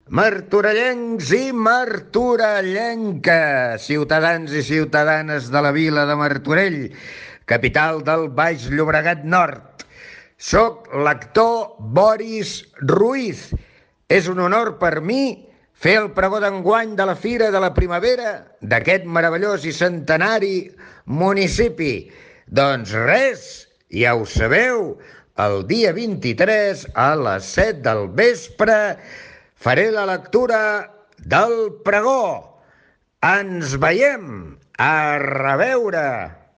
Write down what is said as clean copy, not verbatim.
Martorellencs i martorellenques, ciutadans i ciutadanes de la vila de Martorell, capital del Baix Llobregat Nord. Soc l'actor Boris Ruiz. És un honor per mi fer el pregó d'enguany de la Fira de la Primavera d'aquest meravellós i centenari municipi. Doncs res, ja ho sabeu, el dia 23 a les 7 del vespre faré la lectura del pregó. Ens veiem. A reveure.